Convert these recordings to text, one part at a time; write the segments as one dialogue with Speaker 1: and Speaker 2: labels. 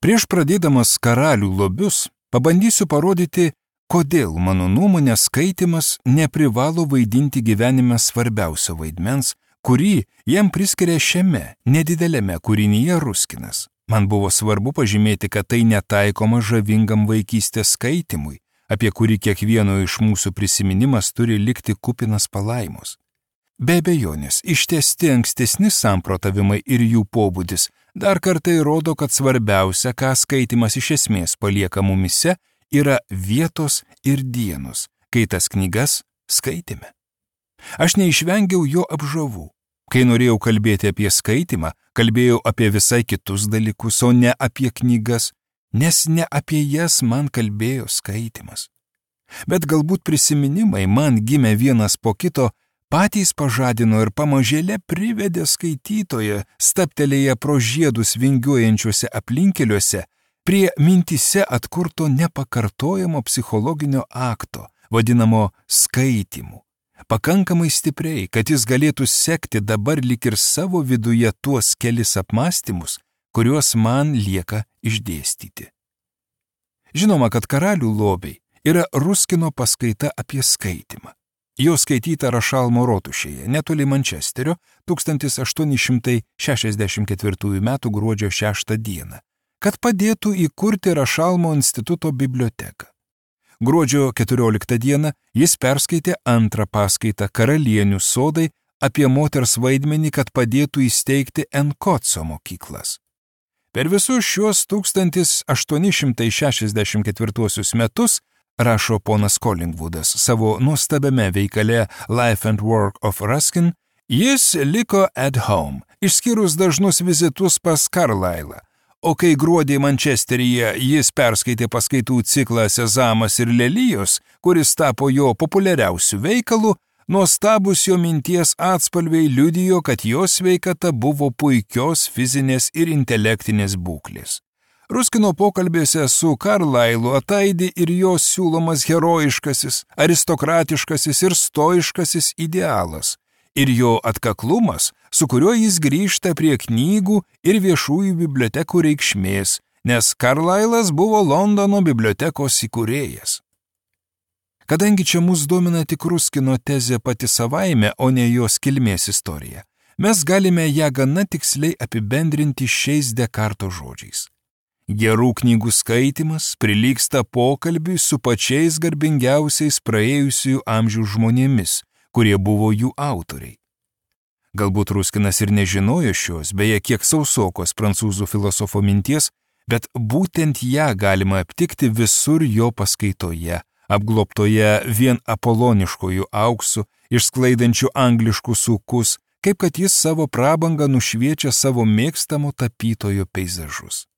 Speaker 1: Prieš pradėdamas karalių lobius, pabandysiu parodyti, kodėl mano nuomonė skaitymas neprivalo vaidinti gyvenime svarbiausio vaidmens, kurį jam priskiria šiame nedidelėme kūrinyje Ruskinas. Man buvo svarbu pažymėti, kad tai netaikoma žavingam vaikystės skaitymui, apie kurį kiekvieno iš mūsų prisiminimas turi likti kupinas palaimos. Be abejonės, ištęsti ankstesni samprotavimai ir jų pobūdis dar kartą įrodo, kad svarbiausia, ką skaitymas iš esmės palieka mumise, yra vietos ir dienos, kai tas knygas skaitėme. Aš neišvengiau jo apžavų. Kai norėjau kalbėti apie skaitymą, kalbėjau apie visai kitus dalykus, o ne apie knygas, nes ne apie jas man kalbėjo skaitymas. Bet galbūt prisiminimai man gimė vienas po kito, patys pažadino ir pamažėle privedė skaitytoją, stabtelėję pro žiedus vingiuojančiuose aplinkeliuose, prie mintise atkurto nepakartojamo psichologinio akto, vadinamo skaitymu. Pakankamai stipriai, kad jis galėtų sekti dabar lyg ir savo viduje tuos kelis apmąstymus, kuriuos man lieka išdėstyti. Žinoma, kad karalių lobiai yra Ruskino paskaita apie skaitymą. Jo skaityta Rašalmo rotušėje, netoli Mančesterio, 1864 m. gruodžio 6 d., kad padėtų įkurti Rašalmo instituto biblioteką. Gruodžio 14 d. jis perskaitė antrą paskaitą Karalienių sodai apie moters vaidmenį, kad padėtų įsteigti Enkoco mokyklas. Per visus šiuos 1864 metus, rašo ponas Collingwoodas savo nuostabiame veikale Life and Work of Ruskin, jis liko at home, išskyrus dažnus vizitus pas Carlylą. O kai gruodį Mančesteryje jis perskaitė paskaitų ciklą Sezamas ir lelijos, kuris tapo jo populiariausių veikalų, nuostabus jo minties atspalviai liudijo, kad jo sveikata buvo puikios fizinės ir intelektinės būklės. Ruskino pokalbėse su Carlylu ataidi ir jo siūlomas herojiškasis, aristokratiškasis ir stoiškasis idealas, ir jo atkaklumas, su kuriuo jis grįžta prie knygų ir viešųjų bibliotekų reikšmės, nes Carlylas buvo Londono bibliotekos įkūrėjas. Kadangi čia mus domina tik Ruskino tezė pati savaime, o ne jos kilmės istorija, mes galime ją gana tiksliai apibendrinti šiais Dekarto žodžiais. Gerų knygų skaitymas prilygsta pokalbiui su pačiais garbingiausiais praėjusių amžių žmonėmis, kurie buvo jų autoriai. Galbūt Ruskinas ir nežinojo šios, beje, kiek sausokos prancūzų filosofo minties, bet būtent ją galima aptikti visur jo paskaitoje, apglobtoje vien apoloniškojų auksų, išsklaidančių angliškus ūkus, kaip kad jis savo prabangą nušviečia savo mėgstamo tapytojo peizažus.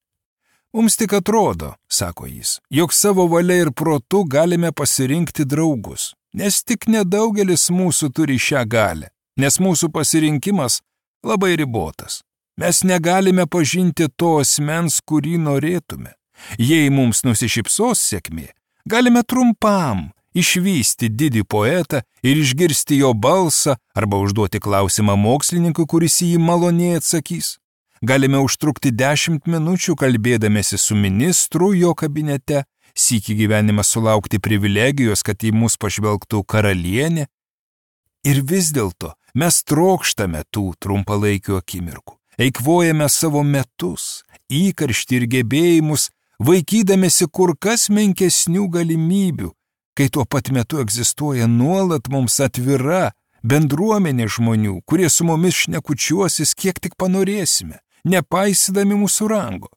Speaker 1: Mums tik atrodo, sako jis, jog savo valia ir protu galime pasirinkti draugus, nes tik nedaugelis mūsų turi šią galią, nes mūsų pasirinkimas labai ribotas. Mes negalime pažinti to asmens, kurį norėtume. Jei mums nusišypsos sėkmė, galime trumpam išvysti didį poetą ir išgirsti jo balsą arba užduoti klausimą mokslininkui, kuris į jį maloniai atsakys. Galime užtrukti 10 minučių kalbėdamėsi su ministru jo kabinete, sykį gyvenimą sulaukti privilegijos, kad į mus pažvelgtų karalienė. Ir vis dėlto mes trokštame tų trumpalaikių akimirkų, eikvojame savo metus, įkarštį ir gebėjimus, vaikydamėsi kur kas menkesnių galimybių, kai tuo pat metu egzistuoja nuolat mums atvira bendruomenė žmonių, kurie su mumis šnekučiuosis kiek tik panorėsime, nepaisydami mūsų rango.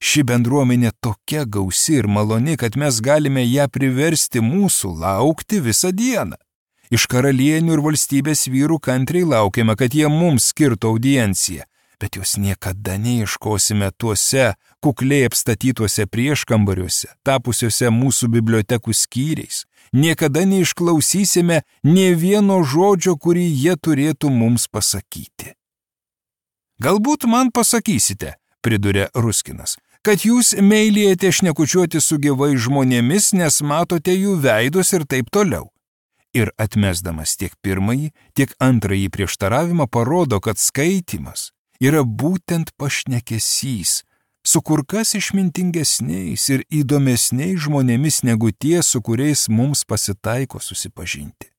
Speaker 1: Ši bendruomenė tokia gausi ir maloni, kad mes galime ją priversti mūsų laukti visą dieną. Iš karalienių ir valstybės vyrų kantriai laukiame, kad jie mums skirtų audienciją, bet jos niekada neieškosime tuose kukliai apstatytuose prieškambariuose, tapusiuose mūsų bibliotekų skyriais. Niekada neišklausysime nė vieno žodžio, kurį jie turėtų mums pasakyti. Galbūt man pasakysite, priduria Ruskinas, kad jūs meilėjate šnekučiuoti su gyvais žmonėmis, nes matote jų veidus ir taip toliau. Ir atmesdamas tiek pirmąjį, tiek antrąjį prieštaravimą parodo, kad skaitymas yra būtent pašnekesys, su kur kas išmintingesniais ir įdomesniais žmonėmis negu tie, su kuriais mums pasitaiko susipažinti.